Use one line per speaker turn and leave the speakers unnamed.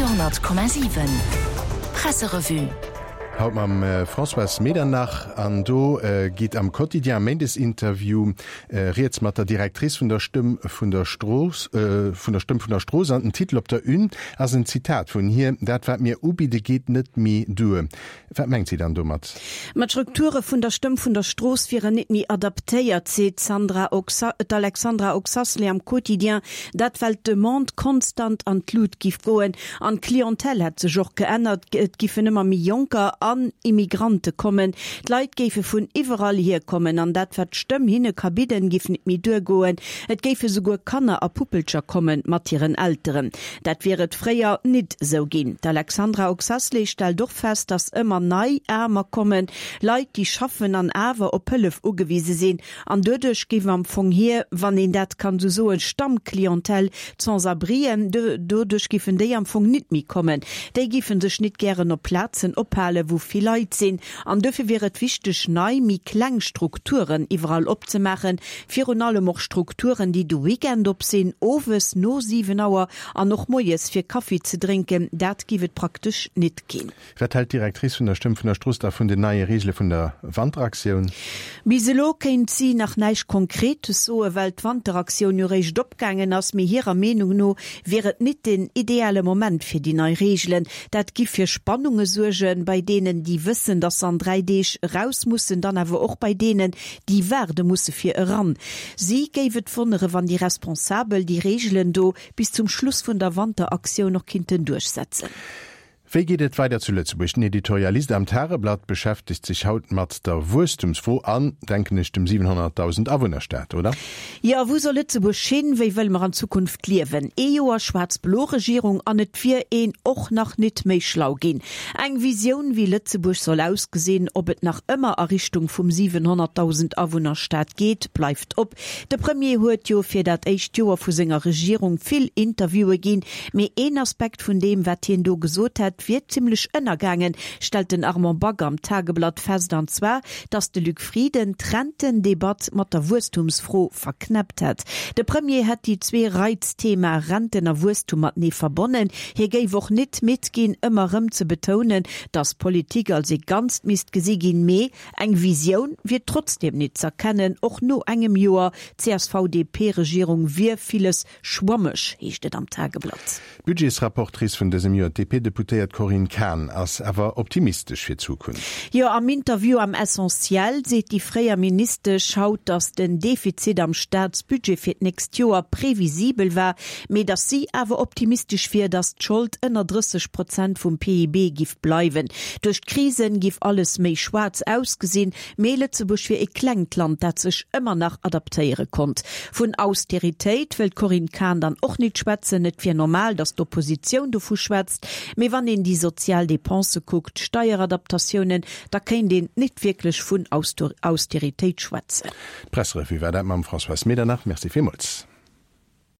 Radio,7 Presserevue.
Haut mam Françoise Medernach an do geet am Quotidien Méindesinterview rieds mat der Directrice vun der Stëmm vun der Strooss, vun der Stëmm vun der Strooss an den Titel op der Une ass en Zitat vun hir, Dat wat mir ubidde geet net méi duer. Wat mengt si dann domat?
Ma d'Strukture vun der Stëmm vun der Strooss wieren nit méi adaptéiert, seet d'Sandra d'Alexandra Oxacelay am Quotidien. Dat well d'Demande konstant an d'Lut giff goen an d'Clientèle hätt sech och geännert. Et giffen ëmmer méi Jonker an Immigrante kommen. D'Leit géife vun iwwerall hier kommen an dat wat d'Stëmm hinne ka bidden, giff nit méi duergoen. Et géife souguer Kanner a Puppelcher komme mat hiren Elteren. Dat wier et fréier nit esou ginn. D'Alexandra Oxacelay stellt och fest, datt ëmmer nei Aarmer kommen, Leit déi schaffen an awer op Hëllef ugewise sinn. An doduerch géif am Fong hir, wann een dat kann esou soen, Stammclientèle, d'Sans-abrien, doduerch géifen déi am Fong nit méi kommen. Déi géife sech nit gären op Plazen ophalen, wou vill Leit sinn. An dofir wier et wichteg, nei, méi kleng Strukturen iwwerall opzemaachen, virun allem och Strukturen, déi de Weekend op sinn, owes no 7 Auer an och moies fir Kaffi ze drénken. Dat giff et praktesch nit ginn.
Wat hält d'Directrice vun der Stëmm vun der Strooss da vun den neie Reegele vun der Wanteraktioun?
Bis elo kéint si nach näischt Konkretes soen, well d'Wanteraktioun jo réischt opgaangen ass. Mee hirer Meenung no wier et nit den ideale Moment fir déi nei Reegelen. Dat giff fir Spannunge suergen, bei deenen, déi wëssen, datt se an 3 Deeg eraus mussen, dann awer och bei deenen, déi waarde musse fir eran. Si géif et wonnere wann déi Responsabel déi Reegelen do bis zum Schluss vun der Wanteraktioun och kinnten duerchsetzen.
Wéi geet et weider zu Lëtzebuerg? Den Editorialist am Tageblatt beschäftegt sech haut mat der Wuesstumsfro an, denken ech, dem 700.000 Awunnerstaat, oder?
Jo, wou soll Lëtzebuerg hin? Wéi wëlle mer an Zukunft liewen? Ee Joer schwaarz-blo Regierung an et wier een och nach nit méi schlau ginn. Eng Visioun, wéi Lëtzebuerg soll ausgesinn, ob et nach ëmmer a Richtung vum 700.000 Awunnerstaat geet, bleift op. De Premier huet jo fir dat éischt Joer vu senger Regierung vill Interviewe ginn, mee een Aspekt vun deem, wat hien do gesot hätt, wier zimmlech ënnergaangen, stellt den Armand Back am Tageblatt fest, an zwar, datt de Luc Frieden d'Rentendebatt mat der Wuesstumsfro verknäppt hätt. De Premier hätt déi zwee Reizthemae Renten a Wuesstum matenee verbonnen. Hie géif och nit midd ginn, ëmmer erëm ze betounen, datt Politik als ee Ganzt misst gesi ginn, mee Eng Visioun wier trotzdeem nit z'erkennen, och no engem Joer CSV-DP-Regierung wier villes schwammeg, heescht et am Tageblatt.
D'Budgetsrapportrice vun dësem Joer, d'DP-Deputéiert Corinne Cahen, ass awer optimistesch fir d'Zukunft.
Jo, am Interview am Essentiel seet déi fréier Ministesch haut, datt den Defizit am Staatsbudget fir d'nächst Joer previsibel war, mee datt si awer optimistesch wier, datt d'Schold ënner 30 Prozent vum PIB giff bleiwen. Duerch d'Krisen giff alles méi schwaarz ausgesinn, mee Lëtzebuerg wier e klengt Land, dat sech ëmmer nach adaptéiere konnt. Vun Austeritéit wëll d'Corinne Cahen dann och nit schwätzen. Et wier normal, datt d'Oppositioun dovu schwätzt, mee wann een déi sozial Depensë kuckt, d'Steieradaptatiounen, da kéint een nit wierklech vun Austeritéit schwätzen.
D'Presserevue war dat mam Françoise Medernach. Merci villmools.